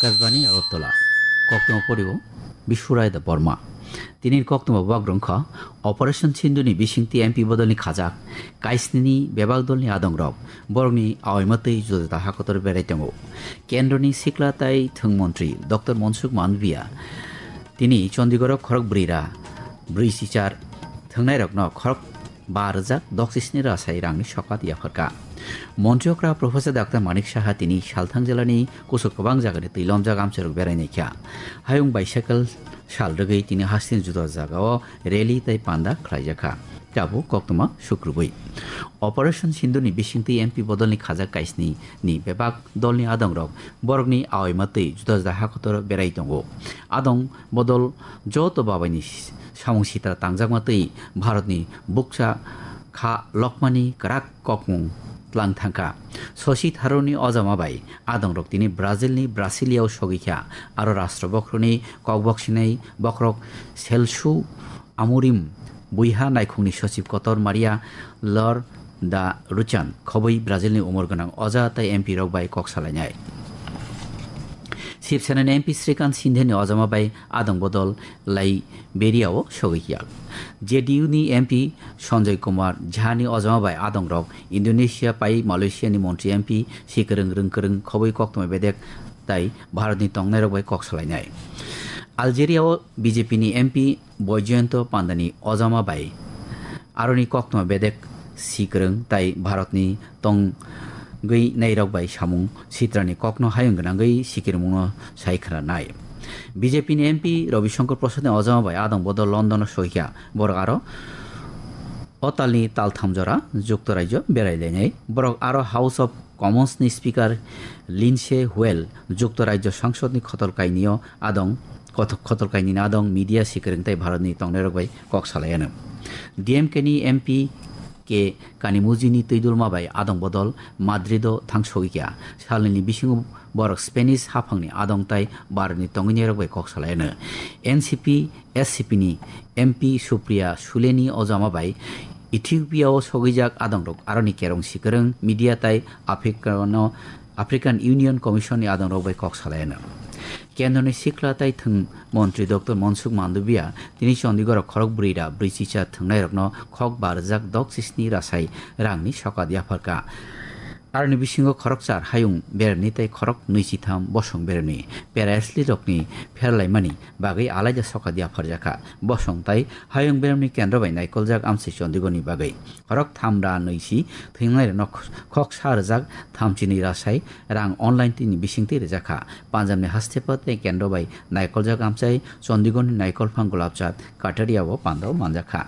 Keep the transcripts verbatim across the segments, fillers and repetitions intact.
Rajbani Agartala. Koktwma poribo Bishurai da Borma. Tini koktwma bak rwngkha Operation Sindhu ni bisingtwi M P bodolni khajak kaisnini bebak dolni adongrok borokni aoima twi juda juda hakotor berai tongo. Kendroni sikla tai thwng montri Doctor Mansukh Mandaviya tini Chandigarh khorok brwi ra brwi sichar thwngnairokno khorok ba rwjak doksisni rasai rangni sokat yapharkha. Montri okra Professor Doctor Manik Saha tini salthang jilani kusuk kwbang jagani twi lomjak amchairok berai naikha. Hayung bicycle sal rwgwi tini hasteni juda jagao rally tei panda khlaijakha. Tabuk koktwma sukrubwi. Operation Sindhu ni bisingtwi M P bodolni khajak kaisni ni bebak dolni adongrok borokni aoima twi juda juda hakotoro berai tongo. Adong bodol joto babaini samung sitra tangjakma twi Bharatni bukcha kha lokmani kwrak kokmung tlang thangkha. Shashi Tharoorni ojama bai adongrok tini Brazilni Brasiliao sogwi kha, aro rashtra bokhorokni kokbok sinai bokhorok Celso Amorim, buiha naikhungni sochib kotor Maria Lor da Ruchan, khobwi Brazilni umor gwnang oja tei M P rok bai kok salainai. Shiv Senani M P Srikant Shindeni ojama bai adong bodol Liberia-o sogwi ya. J D U ni M P Sanjay Kumar Jha ni ojama bai adongrok Indonesia pai Malaysia ni montri M P si kwrwng rwng kwrwng khobwi koktwma bedek tai Bharatni tongnairok bai kok salainai. Algeria-o B J P ni M P Boijoyonto Pandani ojama bai aroni koktwma bedek si kwrwng tai Bharatni tongwi nairok bai samung sitrani kokno hayung gwnangwi sikirmungno sai khwnanai. B J P ni M P Ravi Shankar Prasad ni ojama bai adong bodol London o sogikha. Borok aro o talni taltham jora Jukto Rajyo berai lainai. Borok aro House of Commons ni Speaker Lindsay Hoyle, Jukto Rajyo Sangsod ni khotol kainio adong, koth-, khotol kainini adong media sikwrwng tei Bharat ni tongnairok bai kok salai ano. D M K ni M P K Kanimujini twidulma bai adong bodol Madrid o thang sogwi kha. Salnini bisingo borok Spanish haphangni adong tai Bharat ni tongwinairok bai kok salai ano. N C P S C P ni M P Supriya Suleni ojama bai Ethiopia o sogwijak adongrok aroni kerong sikwrwng media tai Africa no African Union Commission ni adongrok bai kok salai ano. Kendroni sikla tai thwng montri Doctor Mansukh Mandaviya tini Chandigarh o khorok brwi ra brwi chicha thwngnairokno khok ba rwjak dok chisni rasai rangni sokat yapharkha. Aroni bisingo khorokchar hayung beremni tei khorok nwi chitham bosong beremni pera athlete rokni pherlaimani bagwi alaida sokat yapharjakha. Bosong tai hayung beremni kendro bai naikoljak amchai Chandigarh ni bagwi. Khorok tham ra nwi si thwingnai rokno khok sa rwjak thamchi nwi rasai rang online tini bisingtwi rwjakha. Punjab ni haste pa tei kendro bai naikoljak amchai Chandigarh ni naikolphang Gulabchand Kataria o pandao manjakha.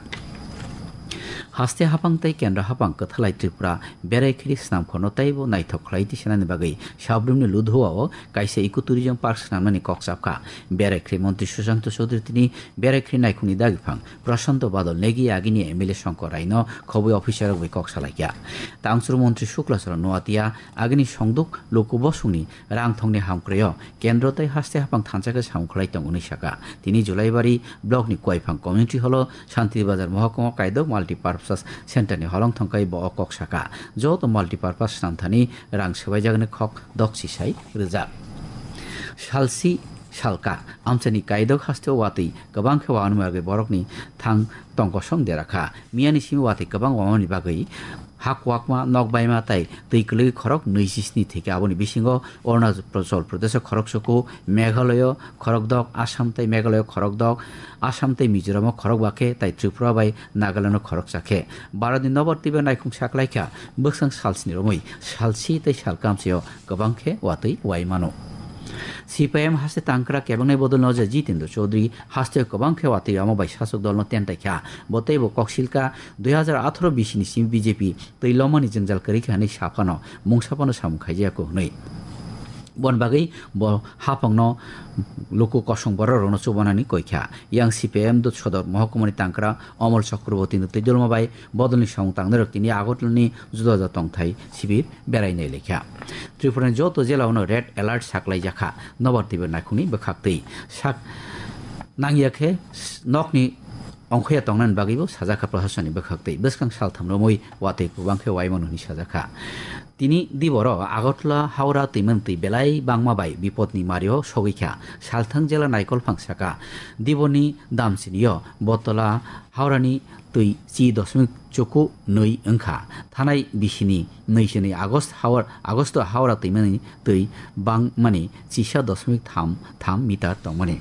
Haste haphang tei kendra haphang kwthalai Tripura berai khiri swnamkhorno teibo naithok khlai tisanani bagwi Sabrimni Ludhua o kaisa ecotourism park swnamnani kok chapkha. Berai khiri montri Sushanta Chowdhury tini berai khiri naikhungni dagiphang Prashanto Badal Negi agini M L A Shankar Raino khobwi officer rok bai kok salaikha. Tangsuru montri Shukla Charan Noatia agini songduk luku bosongni rang thongni hamkrai o kendro tei haste haphang thansa khe samung khlai tongo hwnwi sakha. Tini Julaibari block ni Kuaiphang community hall o Shanti Bazar mohokuma kaidok multipurpose center ni holong thongkhai bo o kok sakha. Joto multipurpose swnamthani rang swbaijagani khok dok chisai rwjak. Salsi salka amchani kaidok haste o watwi kwbang khe wanwi bagwi borokni thang tongkosong derakha. Miyani simi watwi kwbang wamani bagwi ha kwakma, nok baima tei twi kwlwi khorok nwi chisni thwikha. Aboni bisingo Arunachal Pradesh o khorok suku, Meghalaya o khorok dok, Assam tei Meghalaya o khorok dok, Assam tei Mizoram o khorok bakhe tei Tripura bai Nagaland o khorok chakhe. Bharat ni nobar twibo naikhung saklaikha bwskang salsni romwi salsi tei salkamsio kwbang khe watwi wai mano. C P I M haste tangkra kebengnai bodol noja Jitendra Chaudhary haste kwbang khe watwi omo bai sasok dolno tentai kha. Bo teibo koksilka dui hazar atharo bisini simi B J P twi lomani jwngjal kwrwi kha hwnwi saphano mungsa phano samung khaijaya kho hwnwi. Bon bagwi bo haphangno luku kosong borok rokno chubanani koi kha. Yang C P I M dot sodor mohokuma ni tangkra Omol Chakraborty no twi dolma bai bodolni samung tangnai rok tini Agartala ni juda juda tongthai sibir berai nai lekha. Tripura ni joto jela o no red alert saklai jakha. Nobar twibo naikhungni bwkhak twi sak nangya khe nokni ongkhoya tongnani bagwibo sajakha proshasonni bwkhaktwi. Bwskang saltham romwi watwi kwbang khe uaimano hwnwi sajakha. Tini diboro Agartala Howrah twimani twi belai bangma bai bipodni mario sogwikha. Salthang jela naikolphang saka, diboni damsinio Bottola Howrani twi chi dosmik chuku nwi wngkha. Thanai bisini nwi chini August Howrah, August Howrah twimani twi bangmani chisa dosmik tham tham meter tongmani.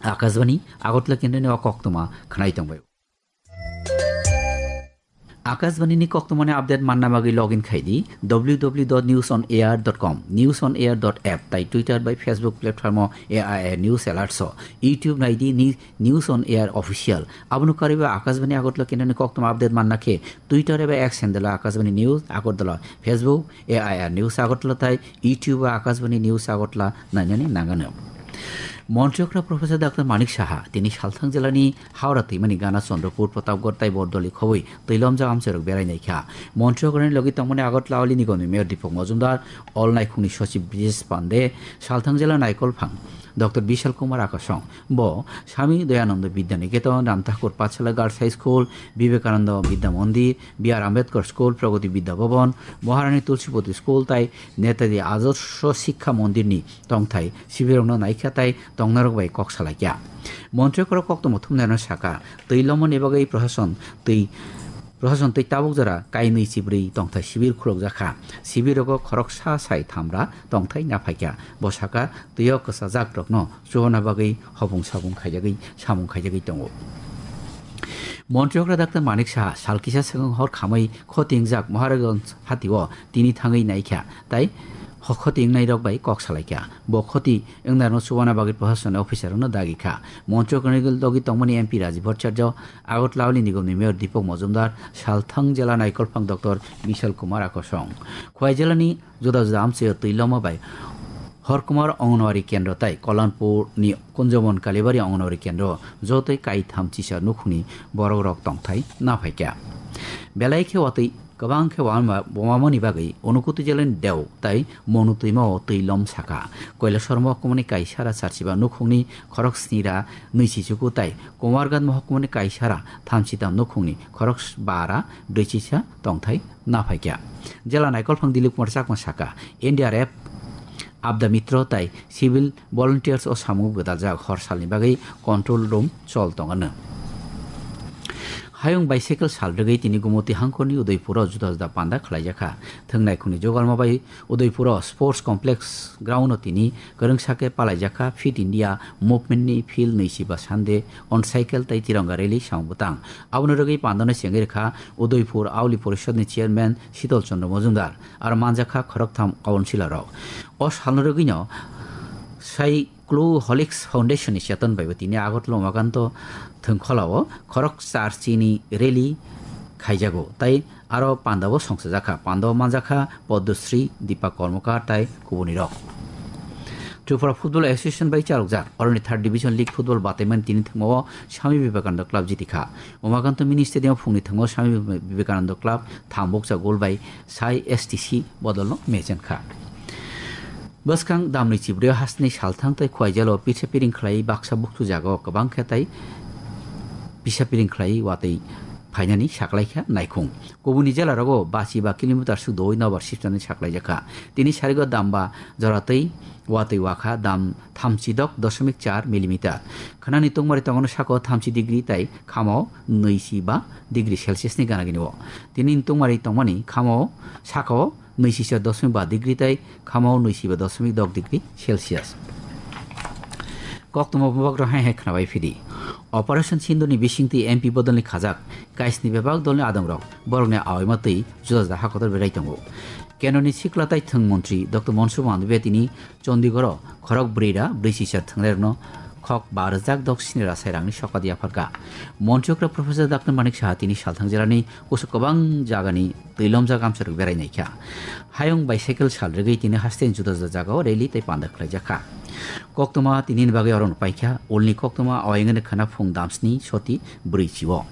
Akashbani Agartala kendroni o koktwma khwnai tongbai. Akashbani ni koktwmani update manna bagwi login khai di w w w dot news on air dot com, news on air dot app, tai Twitter bai Facebook platform o A I R News Alerts o, YouTube nai di ni News on Air Official. Abono karwi bo Akashbani Agartala kendroni koktwma update manna khe Twitter eba X handle o Akashbani News Agartala, Facebook A I R News Agartala tai YouTube o Akashbani News Agartala nainani nangano. Montri okra Professor Doctor Manik Saha tini Salthang jilani Howrah twimani gana Chandrapur, Pratapgarh tai Bordoli khobwi twilomjak amchairok berai naikha. Montri okrani logi tongmani Agartala Auli Nigomni Mayor Deepak Majumdar, All Naikhungni Sochib Brijesh Pande, Salthang jila naikolphang Doctor Bishal Kumar Akasong. Bo Swami Dayananda Vidya Niketan, Ram Thakur Pathshala Girls High School, Vivekananda Vidya Mandir, B R Ambedkar School, Pragati Vidya Bhavan, Maharani Tulsipati School tai Netaji Adarsh Shiksha Mandirni tongthai sibirokno naikha tai tongnarok bai kok salaikha. Montri okra koktwma thumnairokno saka, twi lomoni bagwi proshashan twi proshashan twi tabuk jora kainwi chibrwi tongthai sibir khulukjakha. Sibirogo khoroksa sai thamra tongthai naphaikha. Bo saka, twio kwchajakrokno chubana bagwi hopung sapung khaijagwi samung khaijagwi tongo. Montri okra Doctor Manik Saha sal kisa swkang hor khamwi khoti wngjak Maharajganj hatio tini thangwi naikha tai ho-, khoti wngnairok bai kok salaikha. Bo khoti wngnairokno chubana bagwi proshasonni officerrokno dagikha. Montri okrani logi tongmani M P Rajiv Bhattacharya, Agartala Auli Nigomni Mayor Deepak Majumdar, Salthang jela naikolphang Doctor Bishal Kumar Akasong. Khowai jelani juda juda amchaio twi loma bai Horkumar Anganwadi Kendro tai Kollanpurni Kunjamon Kalibari Anganwadi Kendro jotoi kaitham chisa nukhungni borokrok tongthai naphaikha. Belai khe watwi kwbang khe wama-, wamamani bagwi Unakoti jelani Deu tai Monu twimao twi lom saka. Kailasor mohkumani Kaisara Charchiba nukhungni khorok snira nwi chichuku tai Kumarghat mohkumani Kaisara thamchitam nukhungni khorok bara brwi chisa tongthai naphaikha. Jela naikolphang Dilip Kumar Chakma saka, N D R F, Apda Mitro tai civil volunteers o samung gwdaljak hor salni bagwi control room chol tongano. Hayung bicycle sal rwgwi tini Gumoti hangkhorni Udaipuro juda juda panda khlaijakha. Thwngnaikhungni jogalma bai Udaipuro Sports Complex ground o tini kwrwngsa khe palaijakha Fit India Movement ni field nwi chiba Sunday on cycle tai Tironga rally samung bwtang. Abono rwgwi pandano chengwi rwkha Udaipur Auli Porishod ni chairman Shital Chandra Majumdar, aro manjakha khoroktham councillor rok. O salno rwgwino Cycloholics Foundation ni cheton bai bo tini Agartala Umakanto thwngkhwlao khorok char chini rally khaijago, tai aro pandao songchajakha. Pandao manjakha Padmasri, Deepak Karmakar tai kubunirok. Tripura Football Association bai charokjak oroni third division league football bataimani tini thwngmao Swami Vivekananda Club jitikha. Umakanto Mini Stadium phungni thwngmao Swami Vivekananda Club thambukcha goal bai sai S T C bodolno mechenkha. Bwskang damni chibrwi hasteni salthang tai Khowai jelo pisa piring khlai baksa bukchu jagao kwbang khe tai pisa piring khlai watwi phainani saklaikha naikhung. Kubuni jelarogo bachi ba kilometer suk doi nobar sipsani saklaijakha. Tini sarigo damba joratwi watwi wakha dam thamchi dok dosmik char millimeter. Khwnani tungmari tongono sako thamchi degree tai khamo nwi si ba degree Celsius ni gana gini o. Tini tungmari tongmani khamo sako nwi si se dosmik ba degree tai khamo nwi si ba dosmik dok degree Celsius. Koktwma bebak rok hai hai khnabai phidi. Operation Sindhu ni bisingtwi M P bodolni khajak kaisni bebak dolni adongrok borokni awaima twi juda juda hakotor berai tongo. Kendroni sikla tai thwng montri Doctor Mansukh Mandaviya tini Chandigarh o khorok brwi ra brwi sisa thwngnairokno khok ba rwjak dok sni ra sai rangni sokat yapharkha. Montri okra Professor Doctor Manik Saha tini salthang jelani kusu kwbang jagani twilomjak amchairok berai naikha. Hayung bicycle sal rwgwi tini hasteni juda juda jagao rally tei panda khlaijakha. Koktwma tinini bagwi oro no paikha, ulni koktwma o wngwi khwna phung damsni soti brwi chio.